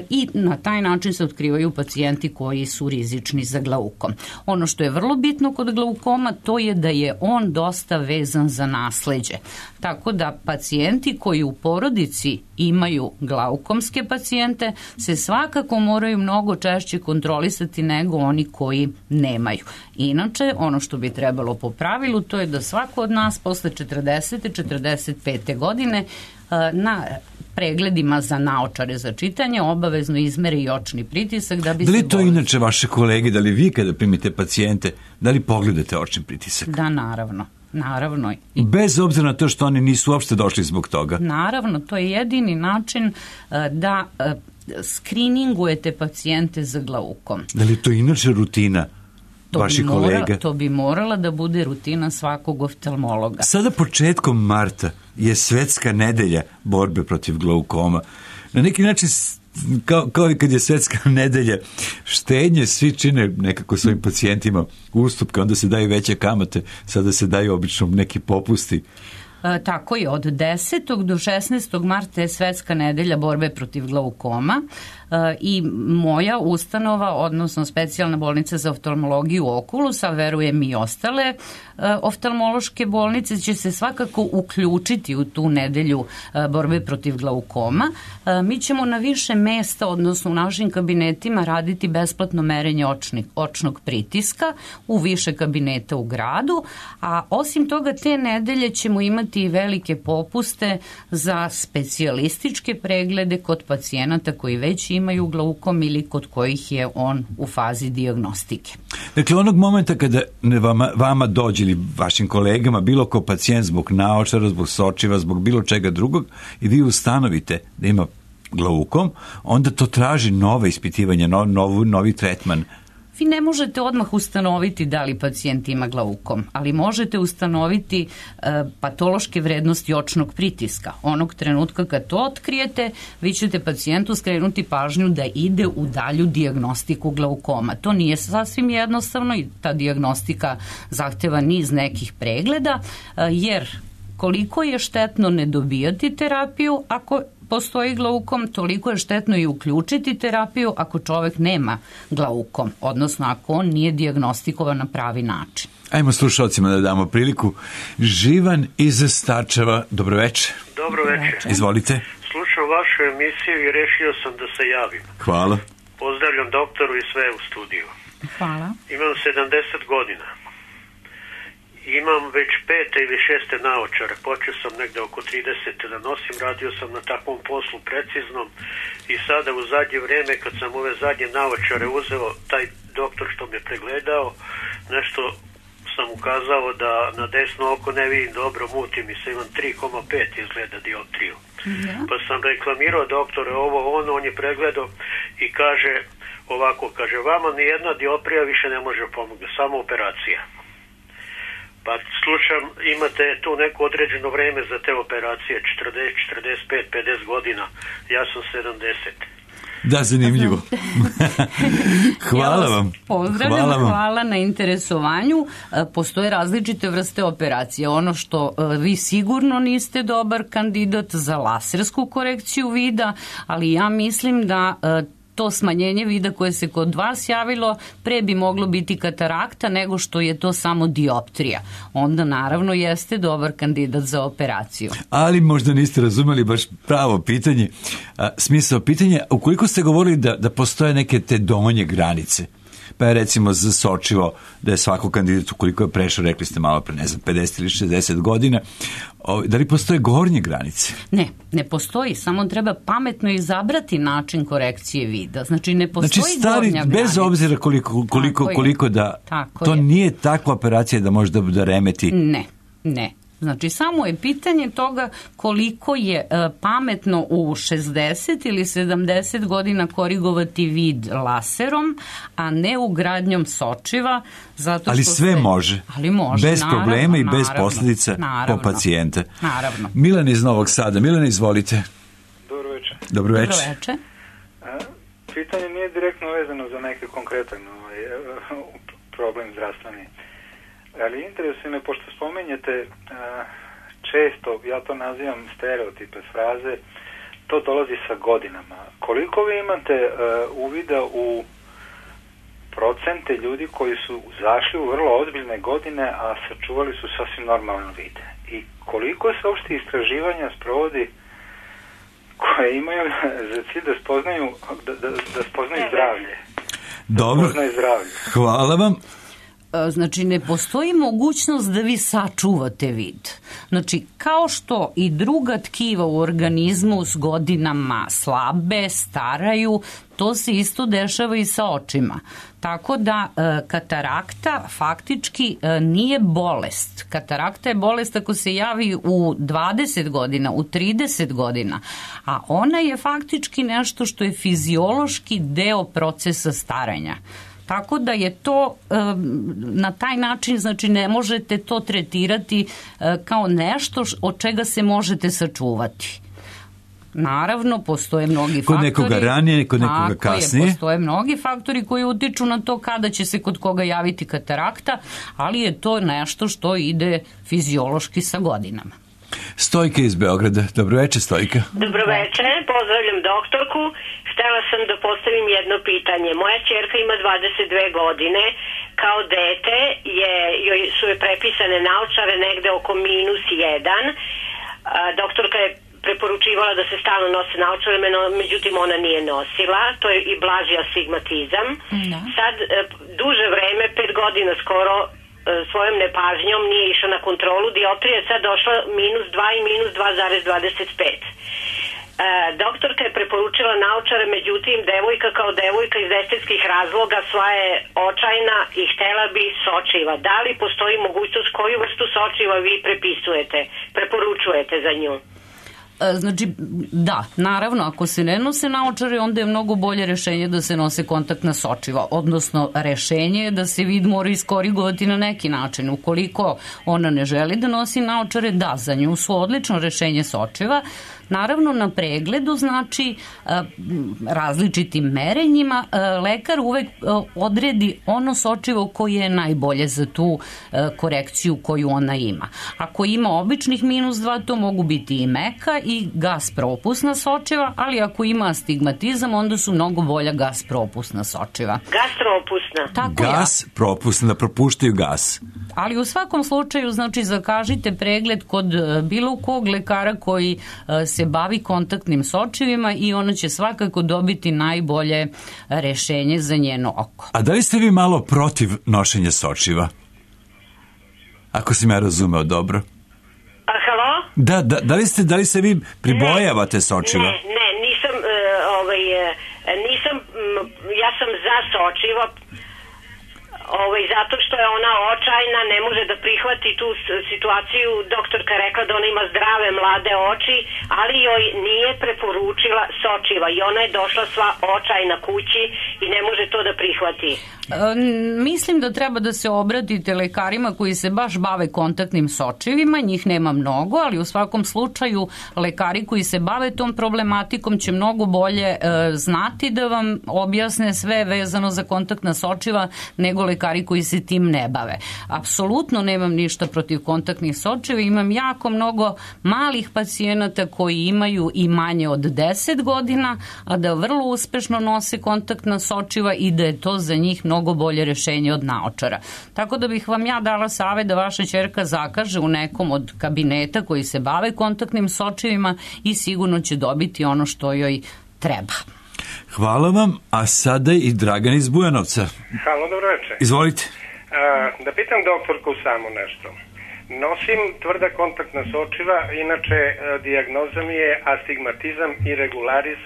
i na taj način se otkrivaju pacijenti koji su rizični za glaukom. Ono što je vrlo bitno kod glaukoma, to je da je on dosta vezan za nasleđe. Tako da pacijenti koji u porodici imaju glaukomske pacijente se svakako moraju mnogo češće kontrolisati nego oni koji nemaju. Inače, ono što bi trebalo po pravilu, to je da svako od nas posle 40. 45. godine na pregledima za naočare za čitanje obavezno izmeri i očni pritisak. Da li to inače vaše kolege, da li vi kada primite pacijente, da li pogledate očni pritisak? Da, naravno. Naravno. Bez obzira na to što oni nisu uopšte došli zbog toga? Naravno, to je jedini način da skriningujete pacijente za glaukom. Da li to inače rutina vaših kolega? To bi morala da bude rutina svakog oftalmologa. Sada početkom marta je Svetska nedelja borbe protiv glaukoma. Na neki način kao i kad je Svetska nedelja štednje, svi čine nekako svojim pacijentima ustupke, onda se daju veće kamate, sada se daju obično neki popusti. Tako je, od 10. do 16. marta je Svetska nedelja borbe protiv glaukoma i moja ustanova, odnosno specijalna bolnica za oftalmologiju Oculus, a verujem i ostale oftalmološke bolnice, će se svakako uključiti u tu nedelju borbe protiv glaukoma. Mi ćemo na više mesta, odnosno u našim kabinetima, raditi besplatno merenje očnog pritiska u više kabineta u gradu, a osim toga te nedelje ćemo imati i velike popuste za specijalističke preglede kod pacijenata koji već imaju glaukom ili kod kojih je on u fazi dijagnostike. Dakle, onog momenta kada vama dođe ili vašim kolegama bilo ko pacijent zbog naočara, zbog sočiva, zbog bilo čega drugog i vi ustanovite da ima glaukom, onda to traži nove ispitivanja, novi tretman. Vi ne možete odmah ustanoviti da li pacijent ima glaukom, ali možete ustanoviti patološke vrednosti očnog pritiska. Onog trenutka kad to otkrijete, vi ćete pacijentu skrenuti pažnju da ide u dalju dijagnostiku glaukoma. To nije sasvim jednostavno i ta dijagnostika zahteva niz nekih pregleda, jer koliko je štetno ne dobijati terapiju ako postoji glaukom, toliko je štetno i uključiti terapiju ako čovek nema glaukom, odnosno ako on nije dijagnostikovan na pravi način. Ajmo slušalcima da damo priliku. Živan iz Starčeva, dobro večer. Dobro večer. Izvolite. Slušam vašu emisiju i rešio sam da se javim. Hvala. Pozdravljam doktoru i sve u studiju. Hvala. Imam 70 godina. Imam već 5. ili 6. naočare, počeo sam negde oko 30. da nosim, radio sam na takvom poslu preciznom i sada u zadnje vreme kad sam ove zadnje naočare uzeo, taj doktor što me pregledao, nešto sam ukazao da na desno oko ne vidim dobro, muti mi se, imam 3,5 izgleda dioptriju. Pa sam reklamirao doktore ovo, on je pregledao i kaže ovako, kaže, vama nijedna dioptrija više ne može pomoći, samo operacija. Pa slušam, imate tu neko određeno vreme za te operacije, 40, 45, 50 godina, ja sam 70. Da, zanimljivo. Hvala vam. Pozdravljam, hvala na interesovanju. Postoje različite vrste operacije. Ono što vi sigurno niste dobar kandidat za lasersku korekciju vida, ali ja mislim da to smanjenje vida koje se kod vas javilo pre bi moglo biti katarakta nego što je to samo dioptrija. Onda naravno jeste dobar kandidat za operaciju. Ali možda niste razumeli baš pravo pitanje, smisao pitanja, ukoliko ste govorili da postoje neke te donje granice, pa je recimo za sočivo da je svako kandidat ukoliko je prešao, rekli ste malo pre, ne znam, 50 ili 60 godina, da li postoje gornje granice? Ne postoji, samo treba pametno izabrati način korekcije vida. Znači ne postoji gornja granica. Bez obzira koliko da to nije takva operacija da može da remeti. Ne. Znači, samo je pitanje toga koliko je pametno u 60 ili 70 godina korigovati vid laserom, a ne ugradnjom sočiva. Ali sve može. Ali može, bez problema i bez posljedica po pacijenta. Naravno. Milan iz Novog Sada. Milan, izvolite. Dobro večer. Dobro večer. Pitanje nije direktno vezano za neki konkretan problem zdravstveni. Ali interesuje me, pošto spomenjete često, ja to nazivam stereotipe fraze, to dolazi sa godinama. Koliko vi imate uvida u procente ljudi koji su zašli u vrlo ozbiljne godine, a sačuvali su sasvim normalan vid? I koliko se uopšte istraživanja sprovodi koje imaju za cilj da spoznaju zdravlje? Dobro, hvala vam. Znači, ne postoji mogućnost da vi sačuvate vid. Znači, kao što i druga tkiva u organizmu s godinama slabe, staraju, to se isto dešava i sa očima. Tako da katarakta faktički nije bolest. Katarakta je bolest ako se javi u 20 godina, u 30 godina, a ona je faktički nešto što je fiziološki deo procesa staranja. Tako da je to na taj način, znači ne možete to tretirati kao nešto od čega se možete sačuvati. Naravno, postoje mnogi faktori. Kod nekoga ranije, kod nekoga kasnije. Postoje mnogi faktori koji utiču na to kada će se kod koga javiti katarakta, ali je to nešto što ide fiziološki sa godinama. Stojka iz Beograda. Dobro večer, Stojka. Dobro večer, pozdravljam doktorku. Htela sam da postavim jedno pitanje. Moja ćerka ima 22 godine. Kao dete joj su je prepisane naočare negde oko -1. Doktorka je preporučivala da se stalno nose naočare, međutim ona nije nosila. To je i blaži astigmatizam. Sad duže vreme, 5 godina skoro, svojom nepažnjom nije išla na kontrolu. Dioptrija je sad došla -2 i -2,25. Doktorka je preporučila naočare, međutim devojka kao devojka iz estetskih razloga sva je očajna i htela bi sočiva. Da li postoji mogućnost, koju vrstu sočiva vi preporučujete za nju? Znači, da, naravno, ako se ne nose naočare, onda je mnogo bolje rešenje da se nose kontaktna sočiva, odnosno rešenje je da se vid mora iskorigovati na neki način. Ukoliko ona ne želi da nosi naočare, da, za nju su odlično rešenje sočiva. Naravno, na pregledu, znači, različitim merenjima, lekar uvek odredi ono sočivo koje je najbolje za tu korekciju koju ona ima. Ako ima običnih -2, to mogu biti i meka i gas propusna sočiva, ali ako ima astigmatizam, onda su mnogo bolja gas propusna sočiva. Gas propusna? Tako gas propusna, da propuštaju gas. Ali u svakom slučaju, znači, zakažite pregled kod bilo kog lekara koji se bavi kontaktnim sočivima i ona će svakako dobiti najbolje rešenje za njeno oko. A da li ste vi malo protiv nošenja sočiva? Ako sam ja razumeo dobro. Halo? Da li se vi pribojavate sočiva? Ne, nisam, ja sam za sočiva. Zato što je ona očajna, ne može da prihvati tu situaciju. Doktorka rekla da ona ima zdrave mlade oči, ali joj nije preporučila sočiva i ona je došla sva očajna kući i ne može to da prihvati. Mislim da treba da se obratite lekarima koji se baš bave kontaktnim sočivima, njih nema mnogo, ali u svakom slučaju lekari koji se bave tom problematikom će mnogo bolje znati da vam objasne sve vezano za kontaktna sočiva nego lekari koji se tim ne bave. Apsolutno nemam ništa protiv kontaktnih sočiva, imam jako mnogo malih pacijenata koji imaju i manje od 10 godina, a da vrlo uspešno nose kontaktna sočiva i da je to za njih mnogo bolje rešenje od naočara. Tako da bih vam ja dala savet da vaša ćerka zakaže u nekom od kabineta koji se bave kontaktnim sočivima i sigurno će dobiti ono što joj treba. Hvala vam, a sada i Dragan iz Bujanovca. Halo, dobro večer. Izvolite. Da pitam doktorku samo nešto. Nosim tvrda kontaktna sočiva, inače dijagnoza mi je astigmatizam irregularis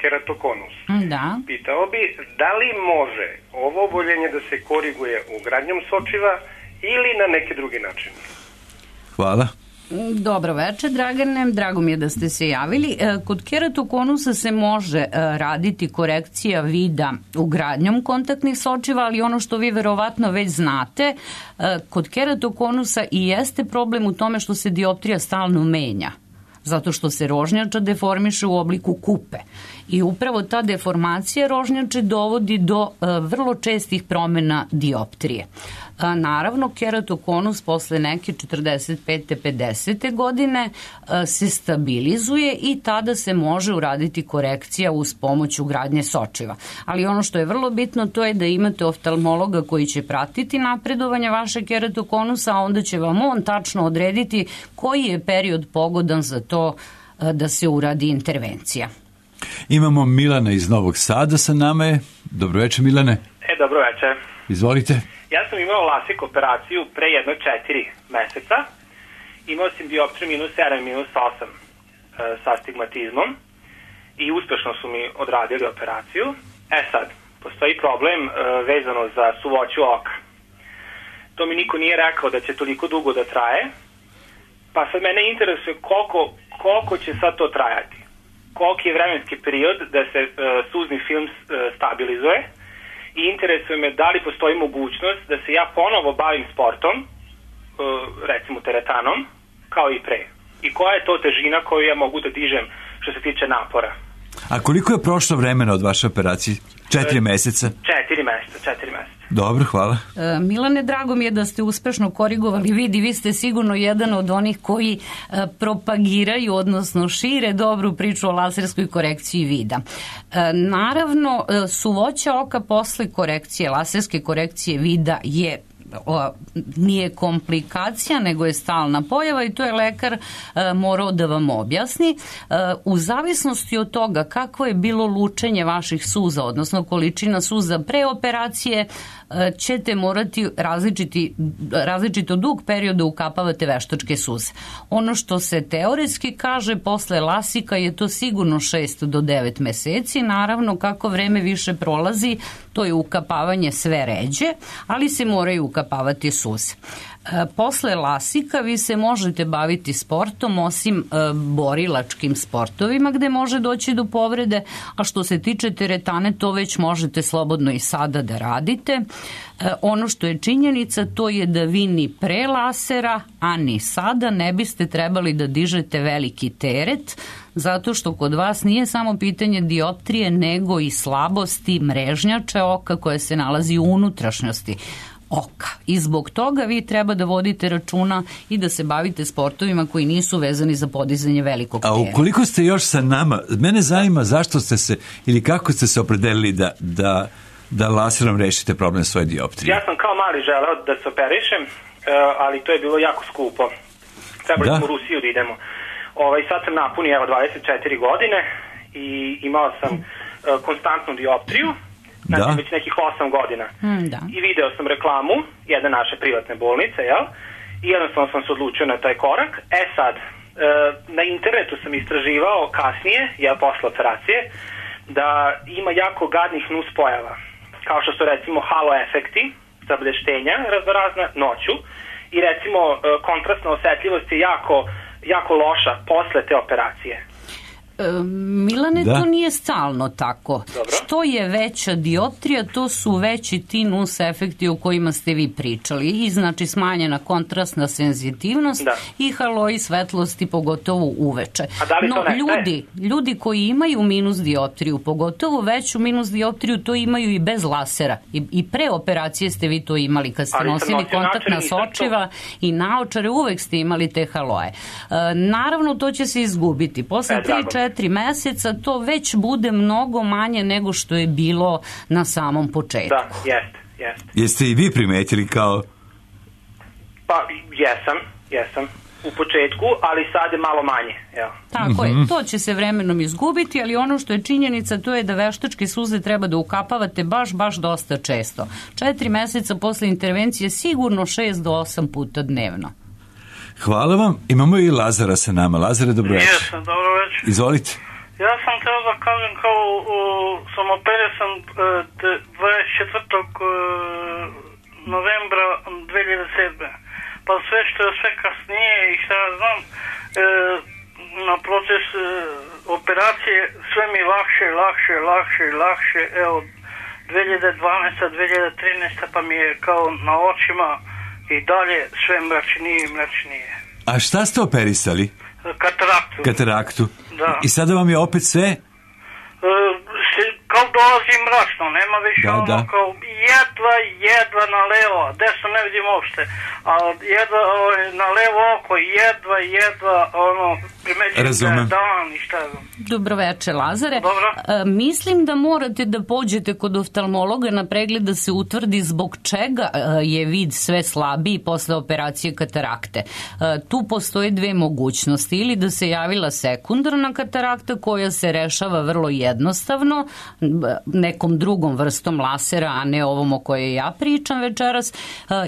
_keratokonus. Da. Pitao bi, da li može ovo oboljenje da se koriguje ugradnjom sočiva ili na neki drugi način? Hvala. Dobro večer, Dragane, drago mi je da ste se javili. Kod keratokonusa se može raditi korekcija vida ugradnjom kontaktnih sočiva, ali ono što vi verovatno već znate, kod keratokonusa i jeste problem u tome što se dioptrija stalno menja, zato što se rožnjača deformiše u obliku kupe. I upravo ta deformacija rožnjače dovodi do vrlo čestih promena dioptrije. Naravno, keratokonus posle neke 45. 50. godine se stabilizuje i tada se može uraditi korekcija uz pomoć ugradnje sočiva. Ali ono što je vrlo bitno to je da imate oftalmologa koji će pratiti napredovanje vašeg keratokonusa, a onda će vam on tačno odrediti koji je period pogodan za to da se uradi intervencija. Imamo Milana iz Novog Sada sa nama je. Dobro večer, Milane. Dobro večer. Izvolite. Ja sam imao LASIK operaciju pre jedno 4 meseca. Imao sam dioptriju -7, -8 sa astigmatizmom i uspešno su mi odradili operaciju. Sad, postoji problem vezano za suvoću oka. To mi niko nije rekao da će toliko dugo da traje, pa sad mene interesuje koliko će sad to trajati. Koliki je vremenski period da se suzni film stabilizuje i interesuje me da li postoji mogućnost da se ja ponovo bavim sportom, recimo teretanom, kao i pre. I koja je to težina koju ja mogu da dižem što se tiče napora. A koliko je prošlo vremena od vaše operacije? 4 meseca? 4 meseca. Dobro, hvala. Milane, drago mi je da ste uspešno korigovali vid i vi ste sigurno jedan od onih koji propagiraju, odnosno šire dobru priču o laserskoj korekciji vida. Naravno, suvoća oka posle korekcije, laserske korekcije vida nije komplikacija, nego je stalna pojava i to je lekar morao da vam objasni. U zavisnosti od toga kako je bilo lučenje vaših suza, odnosno količina suza pre operacije, ćete morati različito dug period da ukapavate veštačke suze. Ono što se teoretski kaže posle lasika je to sigurno 6 do 9 meseci. Naravno, kako vreme više prolazi, to je ukapavanje sve ređe, ali se moraju ukapavati suze. Posle lasika vi se možete baviti sportom, osim borilačkim sportovima gde može doći do povrede, a što se tiče teretane, to već možete slobodno i sada da radite. Ono što je činjenica, to je da vi ni pre lasera, a ni sada ne biste trebali da dižete veliki teret, zato što kod vas nije samo pitanje dioptrije, nego i slabosti mrežnjače oka koja se nalazi u unutrašnjosti oka. I zbog toga vi treba da vodite računa i da se bavite sportovima koji nisu vezani za podizanje velikog tereta. A ukoliko ste još sa nama, mene zanima zašto ste se ili kako ste se opredelili da laserom rešite problem svoje dioptrije. Ja sam kao mali želeo da se operišem, ali to je bilo jako skupo. Trebali smo u Rusiju da idemo. Sad sam napunio 24 godine i imao sam konstantnu dioptriju, znači već nekih 8 godina. I video sam reklamu jedne naše privatne bolnice, i jednostavno sam se odlučio na taj korak. Sad, na internetu sam istraživao kasnije, posle operacije, da ima jako gadnih nus pojava, kao što su recimo halo efekti, zableštenja raznorazna noću i recimo kontrastna osetljivost je jako loša posle te operacije. Milane, to nije stalno tako. Dobro. Što je veća dioptrija, to su veći ti nus efekti o kojima ste vi pričali. I znači smanjena kontrastna senzitivnost i haloji svetlosti, pogotovo uveče. A da li to ljudi koji imaju minus dioptriju, pogotovo veću minus dioptriju, to imaju i bez lasera. I pre operacije ste vi to imali. Kad ste nosili kontaktna sočiva i naočare, uvek ste imali te haloje. Naravno, to će se izgubiti. Posle 3-4 meseca to već bude mnogo manje nego što je bilo na samom početku. Da, jeste. Jeste i vi primetili kao... Pa, jesam. U početku, ali sad je malo manje. Ja. Tako je, to će se vremenom izgubiti, ali ono što je činjenica, to je da veštačke suze treba da ukapavate baš dosta često. 4 meseca posle intervencije sigurno 6 do 8 puta dnevno. Hvala vam. Imamo i Lazara sa nama. Lazare, dobro večer. Jesam, dobro večer. Izvolite. Ja sam htio da kažem kao sam operisan 24. novembra 2007. Pa sve što je sve kasnije i šta ja znam, na proces operacije sve mi lakše. Evo, 2012. 2013. pa mi je kao na očima i dalje sve mračnije. A šta ste operisali? Kataraktu. Da. I sada vam je opet sve? Kao dolazi mračno, nema više kao jedva na levo, desno ne vidim uopšte, a jedva na levo oko, jedva primećujem da je dan i šta je. Dobro večer, Lazare. Mislim da morate da pođete kod oftalmologa na pregled da se utvrdi zbog čega je vid sve slabiji posle operacije katarakte. Tu postoje dve mogućnosti, ili da se javila sekundarna katarakta koja se rešava vrlo jednostavno, nekom drugom vrstom lasera, a ne ovom o kojoj ja pričam večeras,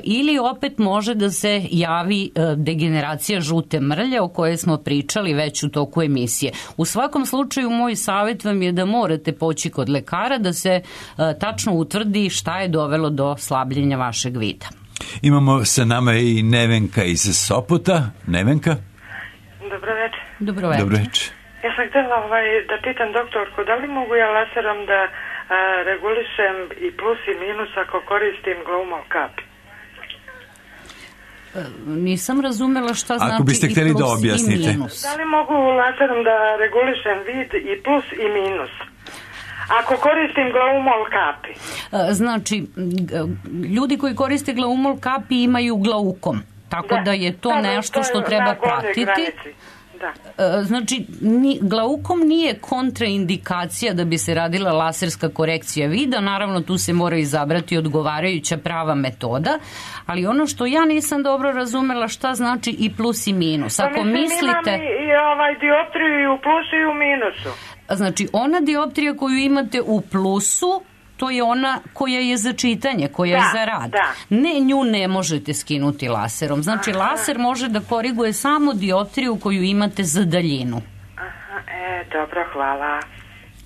ili opet može da se javi degeneracija žute mrlje o kojoj smo pričali već u toku emisije. U svakom slučaju, moj savjet vam je da morate poći kod lekara da se tačno utvrdi šta je dovelo do slabljenja vašeg vida. Imamo sa nama i Nevenka iz Sopota. Nevenka? Dobro večer. Ja sam htjela da pitam doktorku, da li mogu ja laserom da regulišem i plus i minus ako koristim Glowmol kapi? Nisam razumela šta znači ako biste htjeli da objasnite. Da li mogu laserom da regulišem vid i plus i minus? Ako koristim Glowmol kapi. Znači, ljudi koji koriste Glowmol kapi imaju glaukom, tako da je to nešto što treba pratiti. Znači, glaukom nije kontraindikacija da bi se radila laserska korekcija vida, naravno tu se mora izabrati odgovarajuća prava metoda, ali ono što ja nisam dobro razumela šta znači i plus i minus. Ako mislite... Imam i dioptriju i u plusu i u minusu. Znači, ona dioptrija koju imate u plusu, to je ona koja je za čitanje, koja je za rad. Ne, nju ne možete skinuti laserom. Znači, laser može da koriguje samo dioptriju koju imate za daljinu. Dobro, hvala.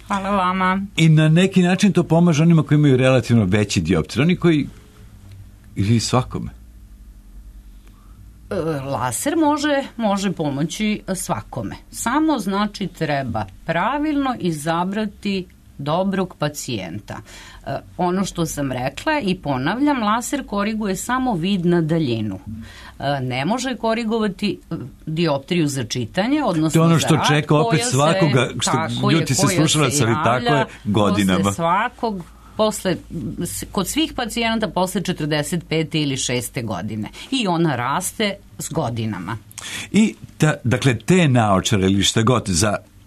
Hvala vama. I na neki način to pomaže onima koji imaju relativno veći dioptrij. Oni koji... ili svakome? Laser može pomoći svakome. Samo znači treba pravilno izabrati dobrog pacijenta. Ono što sam rekla i ponavljam, laser koriguje samo vid na daljinu. Ne može korigovati dioptriju za čitanje, odnosno to ono što čeka opet svakoga, što ljuti se slušalac, ali tako je godinama. Kod svih pacijenata posle 45. ili 6. godine. I ona raste s godinama. I dakle, te naočare ili šta god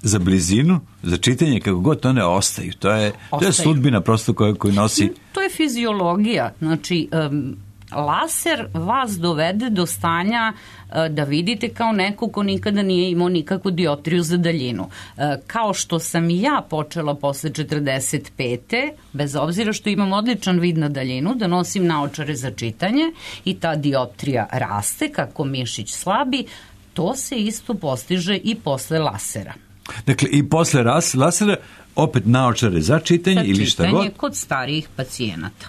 za blizinu, za čitanje, kako god one ostaju. To je sudbina prosto koju nosi. To je fiziologija. Znači, laser vas dovede do stanja da vidite kao neko ko nikada nije imao nikakvu dioptriju za daljinu. Kao što sam i ja počela posle 45. bez obzira što imam odličan vid na daljinu, da nosim naočare za čitanje i ta dioptrija raste kako mišić slabi, to se isto postiže i posle lasera. Dakle, i posle lasera opet naočare za čitanje ili šta god? Kod starijih pacijenata.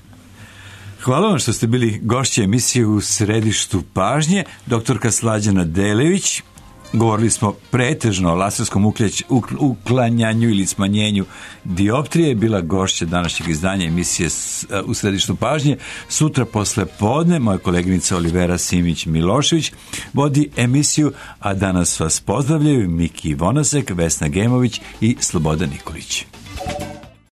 Hvala vam što ste bili gošće emisije U središtu pažnje. Doktorka Slađana Delević. Govorili smo pretežno o laserskom uklanjanju ili smanjenju dioptrije. Bila gošća današnjeg izdanja emisije U središtu pažnje. Sutra posle podne moja koleginica Olivera Simić-Milošević vodi emisiju, a danas vas pozdravljaju Miki Vonasek, Vesna Gemović i Slobodan Nikolić.